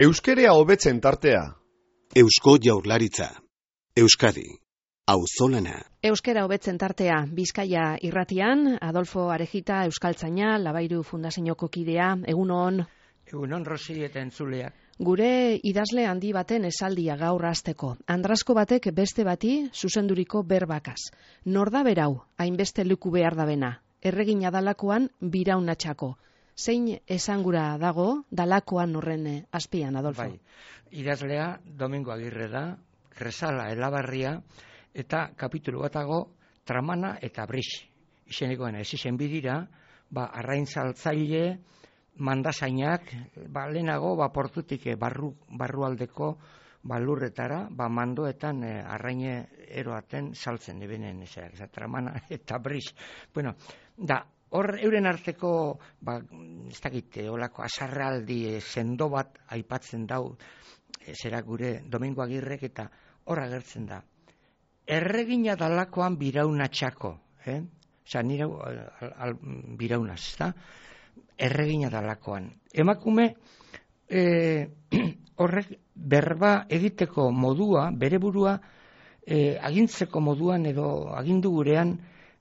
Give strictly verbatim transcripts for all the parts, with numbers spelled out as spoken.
Euskerea hobetzen tartea. Eusko Jaurlaritza. Euskadi. Auzolana. Euskera hobetzen tartea. Bizkaia irratian, Adolfo Arejita, euskaltzaina, Labairu Fundazioko kidea, egunon. Egunon, Rosi eta entzuleak. Gure idazle handi baten esaldia gaur hasteko. Andrasko batek beste bati zuzenduriko berbakaz. Nor da berau, hainbeste leku behar da bena. Erregina dalakoan biraunatxako. Zein esangura dago dalakoan horren azpian, Adolfo? Bai, idazlea Domingo Agirre da, Kresala Elabarria, eta kapitulu batago Tramana eta Brix. Izenekoen ez izen bidira, ba, arraintzaltzaile, mandazainak, ba, lehenago, ba, portutik barru, barrualdeko balurretara, ba, mandoetan eh, arraine eroaten saltzen ebenen, ezak, Tramana eta Brix. Bueno, da, hor euren arteko, ba, ez dakit, olako azarraldi sendo bat aipatzen dau, zera gure Domingo Agirrek, eta hor agertzen da. Erregina dalakoan biraunatxako, eh? Osa, nire al, al, biraunaz, ez da? Erregina dalakoan. Emakume, eh, horrek berba egiteko modua, bere burua, eh, agintzeko moduan edo agindu gurean,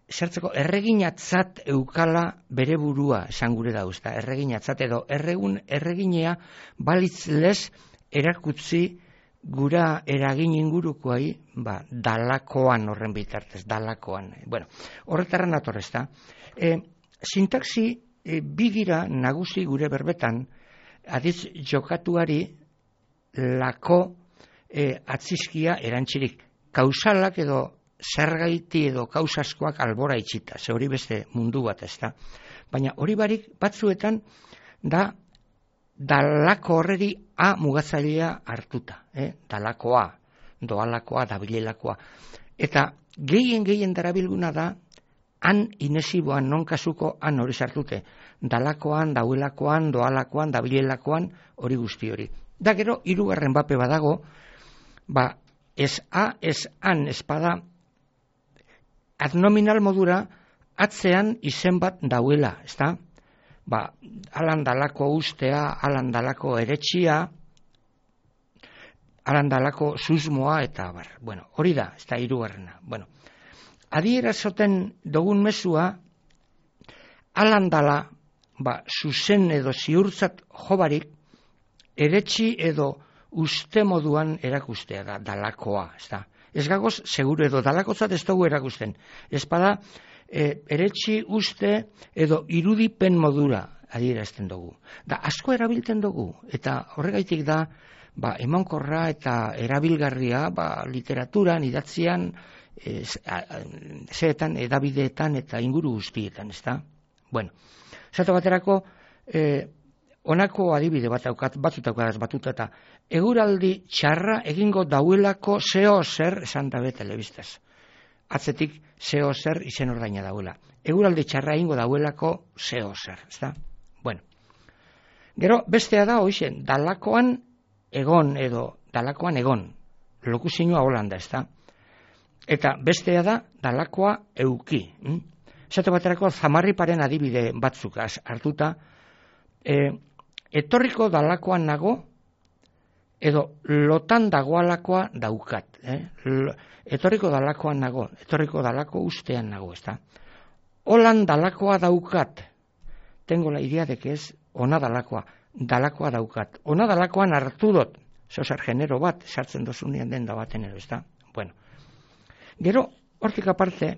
zertzeko erreginatzat eukala bere burua esan gure dauz, da, erreginatzat edo erregun erreginea balitz lez erakutzi gura eragin ingurukoai, ba, dalakoan horren bitartez, dalakoan. Bueno, horretarren atorrez da. E, sintaxi e, bigira nagusi gure berbetan, adiz jokatuari lako e, atzizkia erantzirik. Kausalak edo zergaiti edo kausaskoak albora itxita, ze hori beste mundu bat ez da. Baina hori barik batzuetan da dalako horreri A mugatzailea hartuta, eh? Dalakoa, doalakoa, dabilelakoa. Eta gehien gehien darabilguna da, han inesiboan, non kasuko han hori sartute. Dalakoan, dauelakoan, doalakoan, dabilelakoan, hori guzti hori. Da gero, hirugarren bape badago, ba, ez A, ez han, espada, adnominal modura, atzean izen bat dauela, ez da? Ba, alan dalako ustea, alan dalako eretxia, alan dalako susmoa, eta bar. Bueno, hori da, ez da hirugarrena. Bueno, adierazoten dugun mesua, alan dala, ba, zuzen edo ziurtzat jobarik, eretxi edo uste moduan erakustea da, dalakoa, ez da? Ez gagoz, seguru edo dalakotzat ez dugu erakusten. Ez bada, e, eretxi uste edo irudipen modura adierazten dugu. Da, asko erabiltzen dugu, eta horregaitik da, ba, emankorra eta erabilgarria, ba, literaturan, idatzian, e, zeetan, edabideetan eta inguru guztietan, ez da? Bueno, zato baterako, e, honako adibide bat daukat, batzutaukadaz batuta eta eguraldi txarra egingo dauelako zeo zer esan dabe telebistaz. Atzetik zeo zer izen ordaina dauela. Eguraldi txarra egingo dauelako zeo zer, ez da? Bueno. Gero, bestea da, hoizen, dalakoan egon edo dalakoan egon. Lokuzinua Holanda, ez da? Eta bestea da, dalakoa euki. Hm? Zato baterako zamarriparen adibide batzuk hartuta, e, etorriko dalakoan nago, edo lotan dagoalakoa daukat. Eh? Etorriko dalakoan nago, etorriko dalako ustean nago, ez da? Holan dalakoa daukat, tengo la idea de que es ona dalakoa, dalakoa daukat. Ona dalakoan hartu dut, zozer genero bat, sartzen dozunean den da baten edo, ez da? Bueno. Gero, hortik aparte,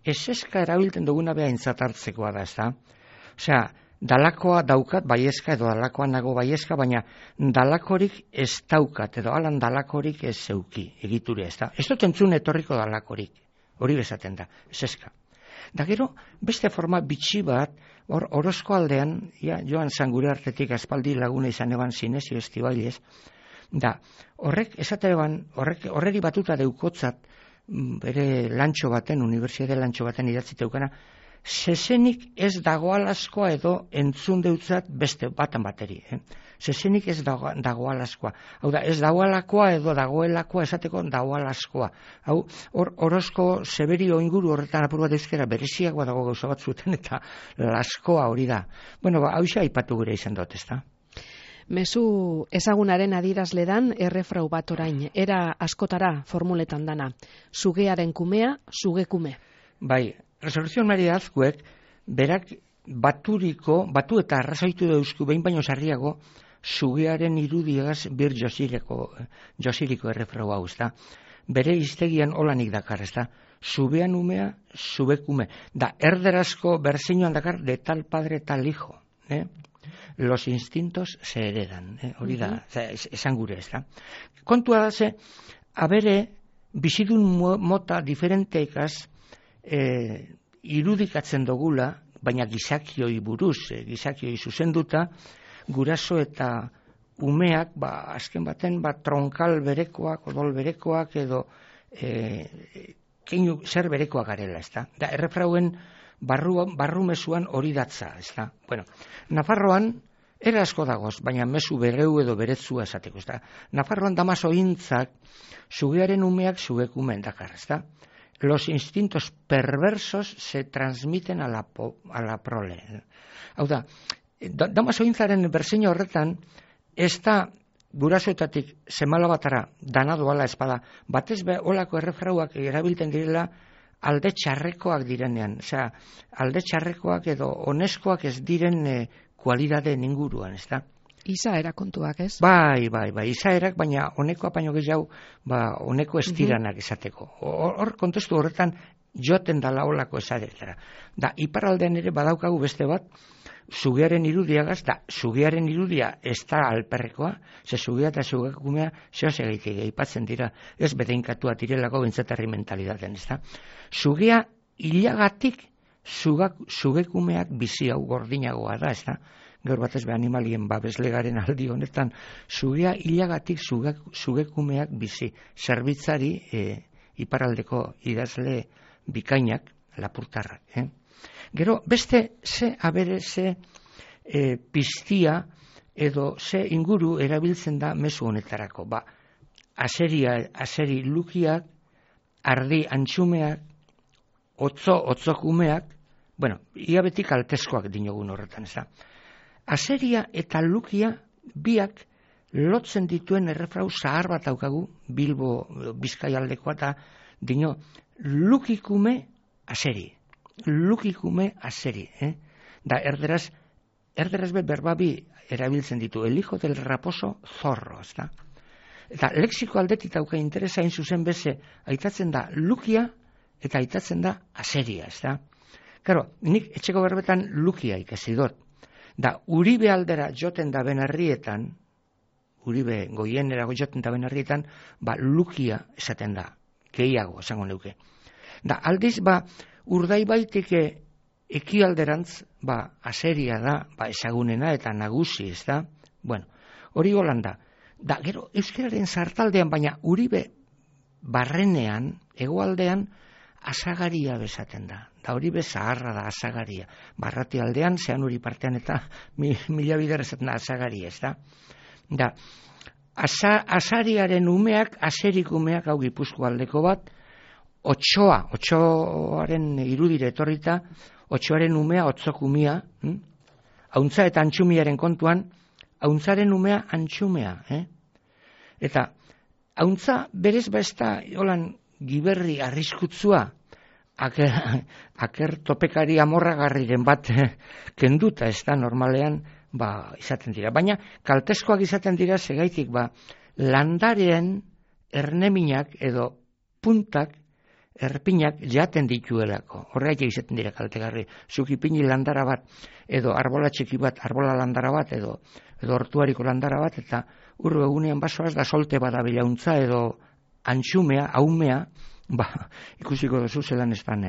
eseska erabiltzen duguna beha intzatartzekoa da, ez da? Osea, dalakoa daukat baiezka edo dalakoan nago baiezka, baina dalakorik ez daukat edo alan dalakorik ez zeuki egiture ez da. Ez dut entzun etorriko dalakorik, hori bezaten da, ez eska. Da gero, beste forma bitxi bat, hor orozko aldean, ja, joan zan gure artetik aspaldi laguna izan eban Sinesio Estibailez, da horrek esate eban, horrek, horreri batuta deukotzat, bere lantxo baten, unibertsitate lantxo baten idatziteukana, zezenik ez dagoalazkoa edo entzun deutzat beste batan bateri. Eh? Zezenik ez dago, dagoalazkoa. Hau da, ez dagoalakoa edo dagoelakoa esateko dagoalazkoa. Hau, hor, orozko zeberio inguru horretan apur bat euskera bereziagoa dago gauza batzuetan eta laskoa hori da. Bueno, ba, hau aipatu gure izan dut, ez da? Mezu ezagunaren adierazledan errefrau bat orain, era askotara formuletan dana. Sugearen kumea, sugekume. Bai, Resurrección Maria Azkuek, berak baturiko, batu eta arrazoitu dauzku behin baino sarriago, sugearen irudiagaz bir josireko, josiriko errefrau hau, ezta? Bere iztegian olanik dakar, ezta? Subean umea, subekume. Da, erderazko berzinoan dakar, de tal padre tal hijo, eh? Los instintos se heredan, eh? Hori da, uh-huh. esan gure, ez da. Kontua da ze, abere, bizidun mota diferenteikaz eh, irudikatzen dogula, baina gizakioi buruz, eh, gizakioi zuzenduta, guraso eta umeak, ba, azken baten, ba, tronkal berekoak, odol berekoak, edo eh, keinu zer berekoak garela, ez da. Da, errefrauen barru, barru mesuan hori datza, ez da. Bueno, Nafarroan, era asko dagoz, baina mezu bereu edo beretzua esateko, ez da. Nafarroan damaso hintzak, sugearen umeak sugekumen dakar, ez da. Los instintos perversos se transmiten a la, po, a la prole. Hau da, damaso hintzaren berseño horretan, ez da gurasoetatik semala batara danado ala espada, batez be olako errefrauak erabilten direla alde txarrekoak direnean, osea, alde txarrekoak edo oneskoak ez diren e, kualidade inguruan, ez da? Izaera kontuak, ez? Bai, bai, bai, izaerak, baina honeko apaino gehiago, ba, honeko estiranak esateko. Hor, kontestu horretan, joten dala olako esaretara. Da, iparraldean ere badaukagu beste bat, sugearen irudiagaz, da, sugearen irudia ez da alperrekoa, ze sugea eta sugekumea zehose gaitik eipatzen dira, ez bedeinkatua direlako bentzatarri mentalidaten, ez da? Sugea hilagatik sugekumeak bizi hau gordinagoa da, ez da? Gaur batez be animalien babeslegaren aldi honetan, sugea hilagatik sugekumeak bizi, zerbitzari e, iparraldeko idazle bikainak, lapurtarrak, eh? Gero, beste ze abere ze e, piztia edo ze inguru erabiltzen da mezu honetarako. Ba, aseria, aseri lukiak, ardi antxumeak, otzo, otzokumeak, bueno, ia betik altezkoak dinogun horretan, ez da. Aseria eta lukia biak lotzen dituen errefrau zahar bat daukagu, Bilbo, Bizkaialdekoa eta dino, lukikume aseri. Lukikume aseri, eh? Da, erderaz, erderaz be berbabi erabiltzen ditu, el hijo del raposo zorro, ez da? Eta lexiko aldetik dauka interesa hain zuzen beze, aitatzen da lukia eta aitatzen da aseria, ez da? Karo, nik etxeko berbetan lukia ikasi dut. Da, Uribe aldera joten da benarrietan, Uribe goienera joten da benarrietan, ba, lukia esaten da, gehiago esango neuke. Da, aldiz, ba, Urdaibaitike ekialderantz, ba, aseria da, ba, ezagunena eta nagusi, ez da? Bueno, hori golanda. Da, gero, euskararen sartaldean, baina Uribe barrenean, hegoaldean, asagaria bezaten da. Da, Uribe zaharra da, asagaria. Barrati aldean, zean uri partean eta mi, mila bider ezaten da, asagaria, ez da? Da, asa, asariaren umeak, aserik umeak, hau Gipuzko aldeko bat, Otsoa, otsoaren irudire etorrita, otsoaren umea otzokumia, hm? Hauntza eta antxumiaren kontuan, hauntzaren umea antxumea, eh? Eta, hauntza berez ba ez da, holan, giberri arriskutzua, aker, aker topekari amorragarriren bat kenduta, ez da, normalean, ba, izaten dira. Baina, kaltezkoak izaten dira, segaitik, ba, landaren erneminak edo puntak, erpinak jaten dituelako. Horregatik izaten dira kaltegarri. Zukipini landara bat, edo arbola txiki bat, arbola landara bat, edo, edo hortuariko landara bat, eta urru egunean basoaz da solte badabila untza, edo antxumea, haumea, ba, ikusiko duzu zelan ez dan,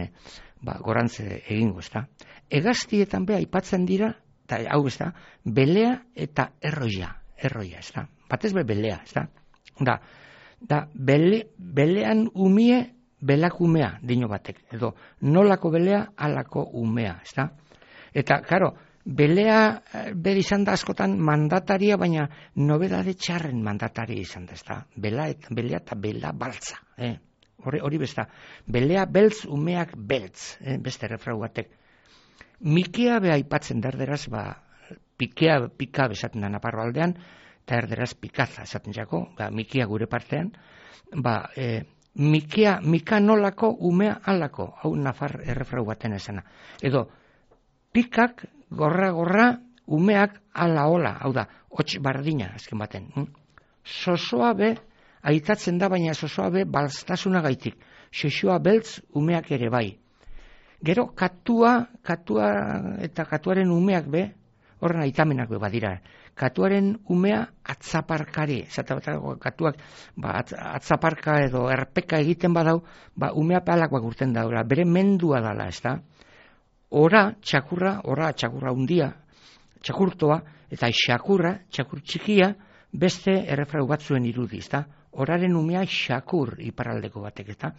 ba, gorantze egingo, ez da. Egaztietan be aipatzen dira, eta hau ez da, belea eta erroia, erroia, ez da. Batez be belea, ez da. Da, da bele, belean umie, belakumea dino batek, edo nolako belea alako umea, ez da? Eta, karo, belea bere izan da askotan mandataria, baina nobedade txarren mandataria izan da, ez da? Bela eta belea eta bela baltza, eh? Hori, hori besta, belea beltz, umeak beltz, eh? Beste refrau batek. Mikea beha aipatzen derderaz, ba, pikea, pika besaten da Naparro aldean, eta erderaz pikaza esaten jako, ba, mikia gure partean, ba, e, mikia, mika nolako, umea alako, hau Nafar errefrau baten esena. Edo, pikak, gorra-gorra, umeak ala hola, hau da, hots bardina, azken baten. Hm? Sosoa be, aitatzen da, baina sosoa be, balstasuna gaitik. Xoxoa beltz, umeak ere bai. Gero, katua, katua eta katuaren umeak be, horren aitamenak be badira. Katuaren umea atzaparkari, zatabatako katuak ba, atzaparka edo erpeka egiten badau, ba, umea palakoak urten daura, bere mendua dala, ez da? Ora, txakurra, ora, txakurra undia, txakurtoa, eta xakurra, txakur txikia, beste errefrau batzuen irudi, ez da? Oraren umea xakur iparraldeko batek, eta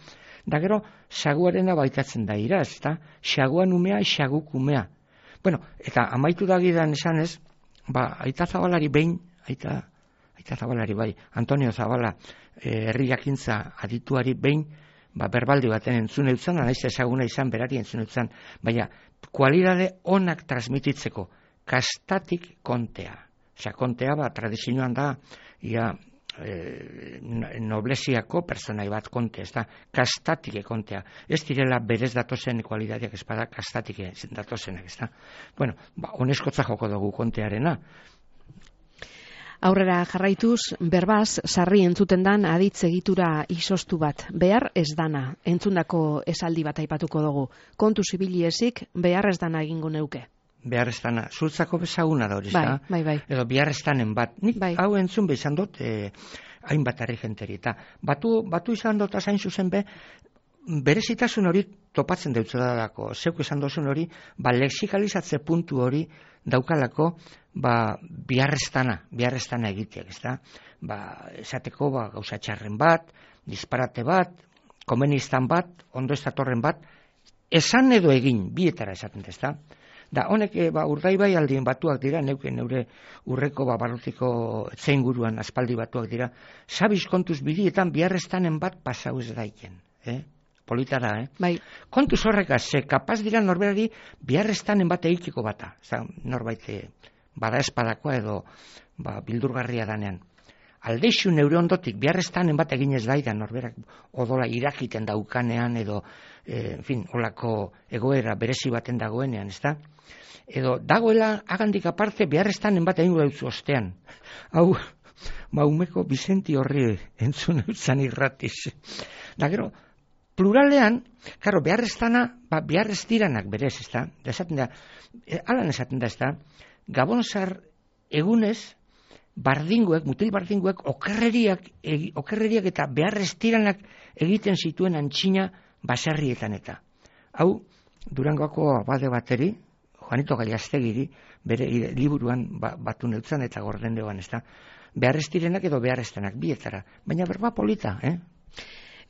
da gero, saguarena baitatzen da ira, ez da? Saguan umea, xaguk umea. Bueno, eta amaitu dagidan esan ez, ba, Aita Zabalari behin, Aita, Aita Zabalari bai, Antonio Zabala, eh, herri jakintza adituari behin, ba, berbaldi baten entzun eutzan, naiz ezaguna izan berari entzun eutzan, baina, kualidade onak transmititzeko, kastatik kontea. Osea, kontea, ba, tradizioan da, ia, e, noblesiako personai bat konte, ez da, kastatike kontea. Ez direla berez datozen kualitateak ez bada kastatike datozenak, ez da. Bueno, ba, oneskotza joko dugu kontearena. Aurrera jarraituz, berbaz, sarri entzuten dan aditz egitura izostu bat. Behar ez dana, entzundako esaldi bat aipatuko dugu. Kontu zibiliezik, behar ez dana egingo neuke. Behar ez dana, zurtzako bezaguna da hori, bai, da? Bai, bai. Edo behar ez danen bat. Nik bai. Hau entzun be izan dut, eh, hainbat harri jenteri. Eta batu, batu izan dut azain zuzen be, berezitasun hori topatzen deutzadako. Zeuk esan dozun hori, ba, lexikalizatze puntu hori daukalako, ba, biharreztana, biharreztana egiteak, ez da? Ba, esateko, ba, gauza txarren bat, disparate bat, komenistan bat, ondo ez datorren bat, esan edo egin, bietara esaten, ez da? Da, honek, ba, urdaibai aldien batuak dira, neuke neure urreko, ba, barrutiko zein aspaldi batuak dira, sabiz kontuz bidietan biharreztanen bat pasau ez daiken, eh? Politara, eh? Bai. Kontuz horrekaz, ze kapaz dira norberari biharreztanen bat egiteko bata. Zan, norbait bada espadakoa edo ba, bildurgarria danean. Aldeixu neure ondotik biharreztanen bat egin ez daida norberak odola irakiten daukanean edo, e, en fin, olako egoera berezi baten dagoenean, ez da? Edo dagoela agandik aparte biharreztanen bat egin gautzu ostean. Hau, maumeko Bizenti horri entzun eutzan irratiz. Da gero, pluralean, karo, beharreztana, ba, beharrez diranak berez, ez da? Da esaten da, e, alan esaten da, ez da? Gabonzar egunez, bardinguek, mutil bardinguek, okerreriak, egi, okerreriak eta beharrez diranak egiten zituen antxina baserrietan eta. Hau, Durangoako abade bateri, Juanito Gallaztegiri, bere liburuan ba, batu neutzan eta gordendeoan, ez da? Beharrez direnak edo beharreztanak, bietara. Baina berba polita, eh?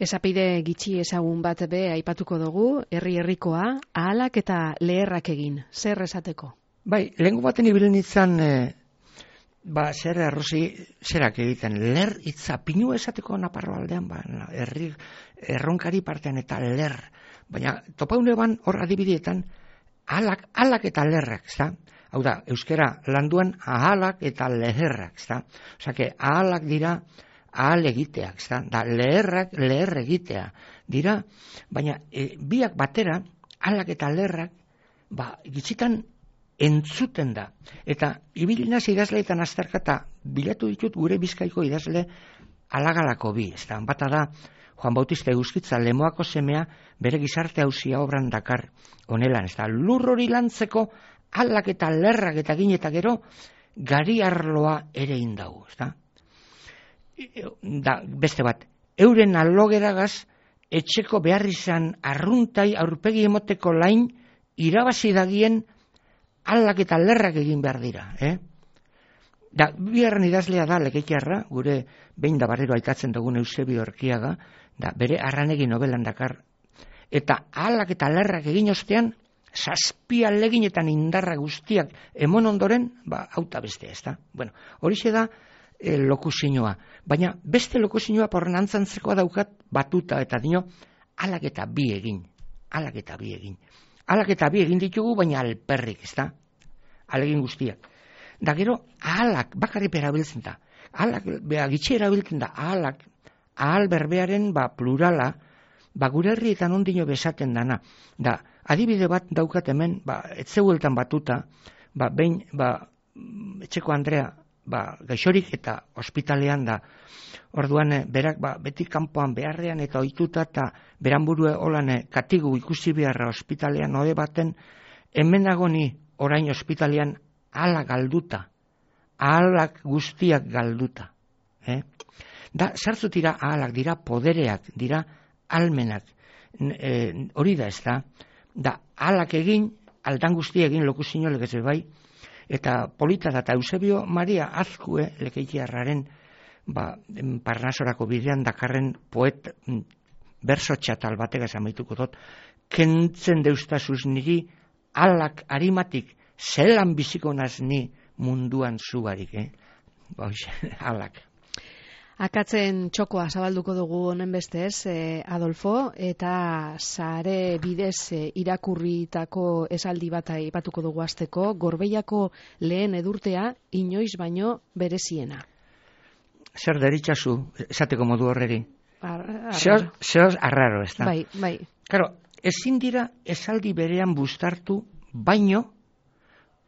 Esapide gitxi ezagun bat be aipatuko dugu, herri-herrikoa, ahalak eta leherrak egin, zer esateko? Bai, lehengo baten ibilen itzan, e, ba, zer arrozi, zerak egiten, ler itza, pinu esateko Naparro aldean, ba, herri, erronkari partean eta ler, baina topaune ban hor adibidietan, ahalak, ahalak eta lerrak, ezta? Hau da, euskera landuan ahalak eta leherrak, ezta? Osa, que ahalak dira, ahal egiteak, ezta? Da, leherrak, leher egitea dira, baina e, biak batera, ahalak eta leherrak, ba, gitzitan entzuten da. Eta ibilinaz idazleetan azterkata bilatu ditut gure Bizkaiko idazle alagalako bi, ezta? Bata da, Juan Bautista Eguzkitza, Lemoako semea, bere gizarte hauzia obran dakar onelan, ezta? Lur hori lantzeko ahalak eta lerrak eta gin eta gero, gari arloa ere indau, ezta? Da, beste bat, euren alogeragaz etxeko behar izan arruntai aurpegi emoteko lain irabazi dagien alak eta lerrak egin behar dira, eh? Da, biharren idazlea da Lekeikarra, gure behin da barrero aitatzen dugun Eusebio Erkiaga, da, bere arranegi nobelan dakar, eta alak eta lerrak egin ostean, zazpia leginetan indarra guztiak emon ondoren, ba, auta beste, ez da? Bueno, horixe da, E, lokuzioa. Baina beste lokuzioa porren antzantzekoa daukat batuta eta dino alak eta bi egin. Alak eta bi egin. Alak eta bi egin ditugu baina alperrik, ez da? Alegin guztiak. Da gero, ahalak, bakarrik erabiltzen da. Ahalak, beha, gitxe erabiltzen da, ahalak, ahal berbearen ba, plurala, ba, gure herrietan ondino besaten dana. Da, adibide bat daukat hemen, ba, etzeueltan batuta, ba, behin, ba, etxeko Andrea, ba, gaixorik eta ospitalean da. Orduan, berak, ba, beti kanpoan beharrean eta ohituta eta beranburue holan katigu ikusi beharra ospitalean ode baten, hemen dago ni orain ospitalean ahala galduta, ahalak guztiak galduta. Eh? Da, sartzu dira ahalak, dira podereak, dira almenak. E, hori da ez da, da ahalak egin, aldan guzti egin lokuzino legez bai, eta polita da, eta Eusebio Maria Azkue lekeitiarraren ba, Parnasorako bidean dakarren poet berso txatal batek amaituko dut, kentzen deustazuz niri alak arimatik zelan biziko naz ni munduan zugarik, eh? Boixe, alak. Akatzen txokoa zabalduko dugu honen bestez, eh, Adolfo, eta sare bidez eh, irakurritako esaldi bat aipatuko dugu hasteko, Gorbeiako lehen edurtea inoiz baino bereziena. Zer deritxazu, esateko modu horreri? Ar, Zehoz arraro, ez da? Bai, bai. Claro, ezin dira esaldi berean bustartu, baino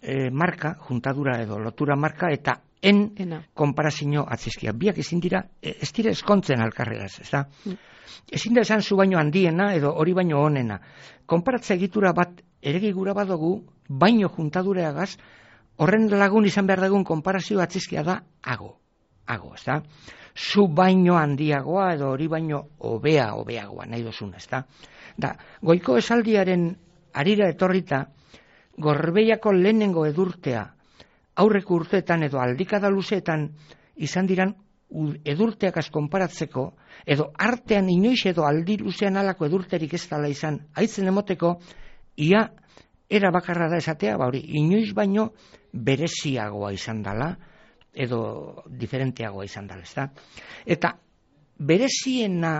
eh, marka, juntadura edo lotura marka, eta en Ena. Konparazio atzizkia. Biak ezin dira, ez dira eskontzen alkarregaz, ez da? Mm. Ezin da esan zu baino handiena edo hori baino onena. Konparatza egitura bat eregigura badugu, baino juntadureagaz, horren lagun izan behar dugun konparazio atzizkia da ago. Ago, ez da? Zu baino handiagoa edo hori baino hobea, hobeagoa, nahi dozuna, ez da? Da, goiko esaldiaren arira etorrita, Gorbeiako lehenengo edurtea, aurreko urteetan edo aldikada luzeetan izan diran edurteakaz konparatzeko, edo artean inoiz edo aldi luzean alako edurterik ez dala izan, haitzen emoteko, ia era bakarra da esatea, ba hori, inoiz baino bereziagoa izan dala, edo diferenteagoa izan dala, ez da? Eta bereziena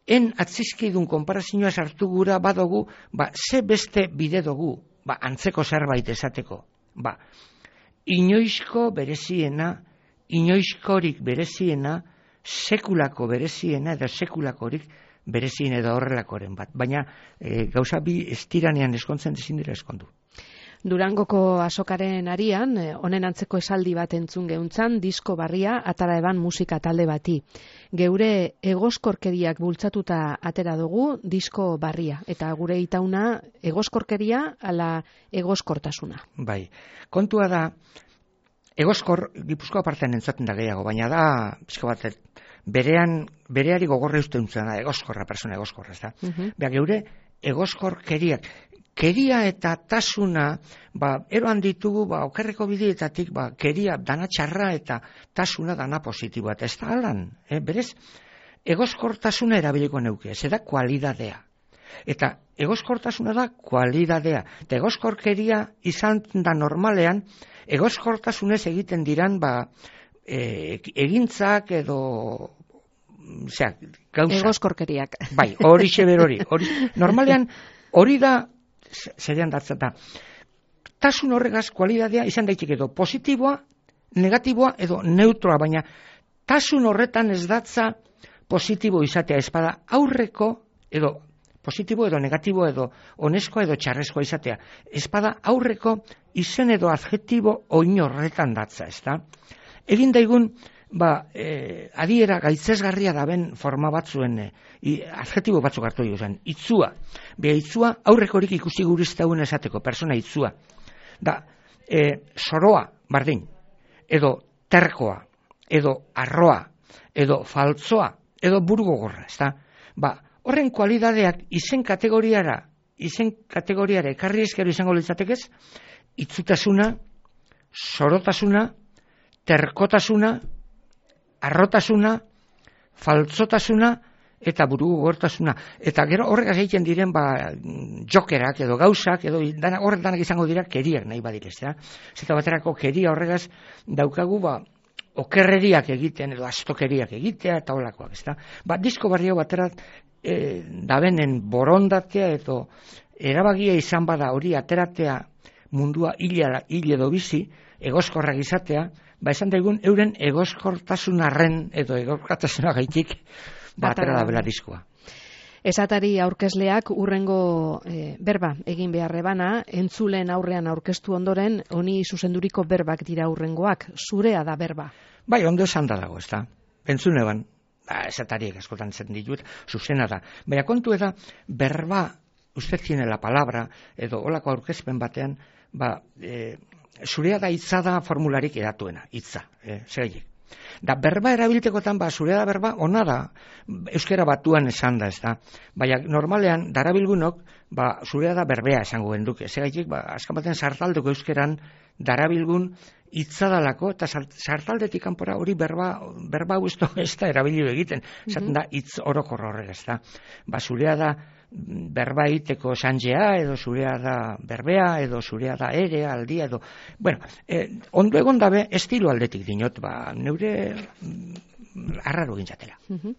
en atzizkidun konparazioa sartu gura badogu, ba, ze beste bide dugu, ba, antzeko zerbait esateko, ba, inoizko bereziena, inoizkorik bereziena, sekulako bereziena edo sekulakorik berezien edo horrelakoren bat. Baina e, gauza bi estiranean eskontzen ezin dira eskondu. Durangoko azokaren arian, honen antzeko esaldi bat entzun geuntzan, disko barria atara eban musika talde bati. Geure egoskorkeriak bultzatuta atera dugu disko barria. Eta gure itauna egoskorkeria ala egoskortasuna. Bai, kontua da, egoskor, Gipuzkoa partean entzaten da gehiago, baina da, pizko bat, berean, bereari gogorre uste duntzen da, egoskorra, persona egoskorra, ez da. Uh-huh. Beha, geure egoskorkeriak, keria eta tasuna, ba, eroan ditugu, ba, okerreko bideetatik, ba, keria dana txarra eta tasuna dana positiboa. Eta ez da alan, eh? Berez, egoskortasuna erabiliko neuke, ez da kualidadea. Eta egoskortasuna da kualidadea. Eta egoskorkeria izan da normalean, egoskortasunez egiten diran, ba, e, egintzak edo, zera, gauza. Egoskorkeriak. Bai, hori xeber hori. Normalean, hori da, zerean datzen da, tasun horregaz kualidadea izan daiteke edo positiboa, negatiboa edo neutroa, baina tasun horretan ez datza positibo izatea, espada aurreko edo positibo edo negatibo edo oneskoa edo txarrezkoa izatea, espada aurreko izen edo adjetibo oin horretan datza, ez da? Egin daigun, ba, eh, adiera gaitzesgarria daben forma batzuen eh, adjetibo batzuk hartu duzen, itzua. Beha itzua aurrekorik ikusi guriztauen esateko, persona itzua. Da, eh, soroa, bardin, edo terkoa, edo arroa, edo faltzoa, edo burgogorra, ez da? Ba, horren kualidadeak izen kategoriara, izen kategoriara ekarri ezkero izango litzatekez, itzutasuna, sorotasuna, terkotasuna, arrotasuna, faltzotasuna eta burugogortasuna. Eta gero horregaz egiten diren ba, jokerak edo gauzak edo dana, horrek danak izango dira keriak nahi badirez. Ja? Zeta baterako keria horregaz daukagu ba, okerreriak egiten edo astokeriak egitea eta holakoak. Ez da? Ba, disko barrio baterat e, dabenen borondatea edo erabagia izan bada hori ateratea mundua hil edo bizi, egoskorrak izatea, ba esan daigun euren egoskortasunarren edo egoskortasunagaitik batera da bela diskoa. Esatari aurkezleak urrengo e, berba egin beharre bana, entzulen aurrean aurkeztu ondoren, honi zuzenduriko berbak dira urrengoak, zurea da berba. Bai, ondo esan da dago, ez da. Entzune ban, ba, esatariek askotan zen ditut, zuzena da. Baina kontu da, berba, usted tiene la palabra, edo olako aurkezpen batean, ba, e, zurea da hitza da formularik edatuena, hitza, e, zegaiek. Da berba erabiltekotan, ba, zurea da berba, ona da, euskera batuan esan da, ez da. Baina normalean, darabilgunok, ba, zurea da berbea esango genduke. Zegaiek, ba, azkan baten sartaldeko euskeran, darabilgun hitzadalako, eta sartaldetik kanpora hori berba, berba hau ez da erabilio egiten. Esaten da, hitz orokorra horrek, ez da. Ba, zurea da berba egiteko sanjea, edo zurea da berbea, edo zurea da ere, aldia, edo... Bueno, eh, ondo egon dabe, estilo aldetik dinot, ba, neure arraro gintzatela. Uh-huh.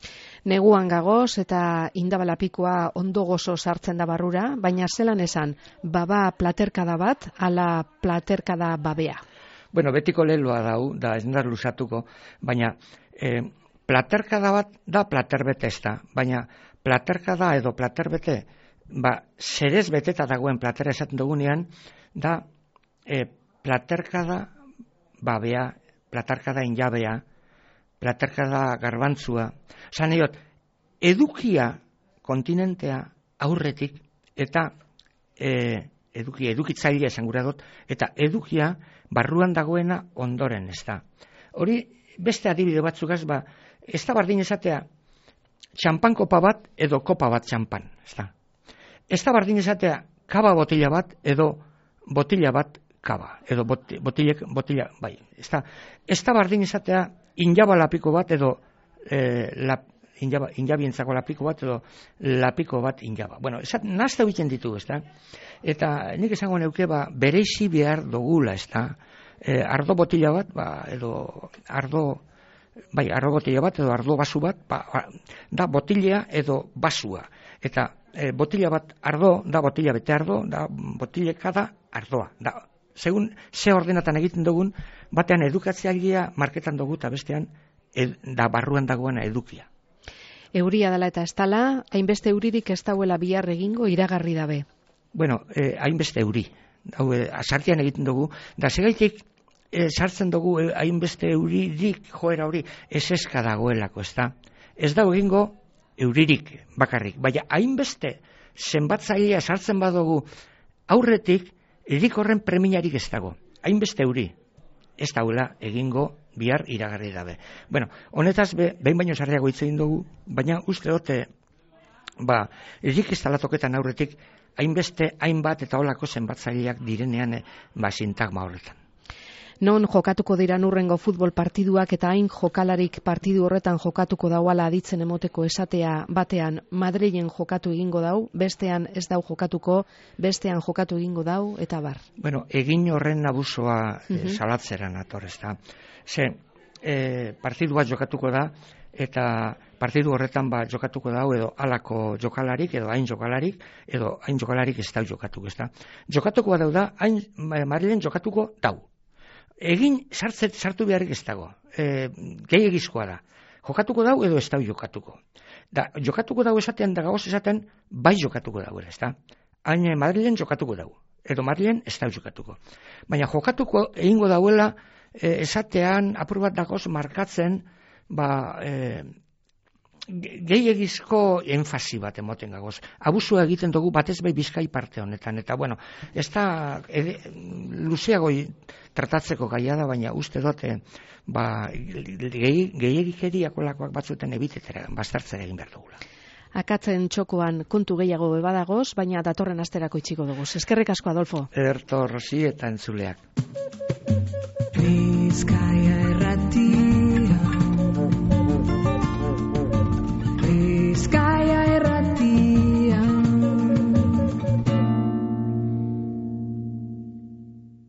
Neguan gagoz eta indabalapikoa ondo gozo sartzen da barrura, baina zelan esan, baba platerkada bat, ala platerkada babea? Bueno, betiko leloa dau, da ez nindar lusatuko, baina eh, platerkada bat da platerbete ez da, baina platerkada edo platerbete, ba, zerez beteta dagoen platera esaten dugunean, da eh, platerkada babea, platerkada injabea, platerkada garbantzua, zan egot, edukia kontinentea aurretik, eta e, edukia, edukitzailea esan gura dut, eta edukia barruan dagoena ondoren, ez da. Hori, beste adibide batzukaz, ba, ez da bardin esatea, txampan kopa bat, edo kopa bat txampan, ez da. Ez da bardin esatea, kaba botila bat, edo botila bat kaba, edo botilek, botila, bai, ez da. Ez da bardin esatea, injaba lapiko bat edo e, lap, injaba, injabientzako lapiko bat edo lapiko bat injaba. Bueno, esat, nazta egiten ditu, ez da? Eta nik esango neuke, ba, bereizi behar dugula, ez da? E, ardo botila bat, ba, edo ardo, bai, ardo botila bat edo ardo basu bat, ba, da botilea edo basua. Eta e, botila bat ardo, da botila bete ardo, da botileka da ardoa. Da, segun ze ordenatan egiten dugun, batean edukatzailea marketan dugu eta bestean ed, da barruan dagoena edukia. Euria dela eta ez dala, hainbeste euririk ez dauela bihar egingo iragarri dabe. Bueno, eh, hainbeste euri. Hau, eh, sartian egiten dugu, da segaitik eh, sartzen dugu eh, hainbeste euririk joera hori eseska dagoelako, ez da? Ez dago egingo euririk bakarrik, baina hainbeste zenbatzailea sartzen badugu aurretik, erik horren preminarik ez dago. Hainbeste euri, ez daula egingo bihar iragarri dabe. Bueno, honetaz be, behin baino sarriago hitz egin dugu, baina uste dote, ba, erik ez talatoketan aurretik, hainbeste, hainbat eta holako zenbatzaileak direnean, ba, sintagma horretan. Non jokatuko dira urrengo futbol partiduak eta hain jokalarik partidu horretan jokatuko dauala aditzen emoteko esatea batean Madrilen jokatu egingo dau, bestean ez dau jokatuko, bestean jokatu egingo dau, eta bar. Bueno, egin horren abusoa uh-huh. e, salatzeran ator, ez da. Ze, e, partidu bat jokatuko da, eta partidu horretan ba jokatuko dau edo halako jokalarik, edo hain jokalarik, edo hain jokalarik ez dau jokatuko, ez da. Jokatuko dau da, hain Madrilen jokatuko dau. Egin sartzet sartu beharrik ez dago. E, gehiagizkoa da. Jokatuko dau edo ez dau jokatuko. Da, jokatuko dau esatean da gagoz esaten bai jokatuko dau, ez da. Hain Madrilen jokatuko dau. Edo Madrilen ez dau jokatuko. Baina jokatuko egingo dauela e, esatean apur bat dagoz markatzen ba e, gehiagizko enfasi bat emoten gagoz. Abusua egiten dugu batez bai Bizkai parte honetan. Eta bueno, ez da ed, luzeago tratatzeko gaia da, baina uste dute ba, gehiagikeriakolakoak batzuten ebitetera, bastartzera egin behar dugula. Akatzen txokoan kontu gehiago bebadagoz, baina datorren asterako itxiko dugu. Eskerrik asko, Adolfo. Erto Rosi eta entzuleak. Bizkaia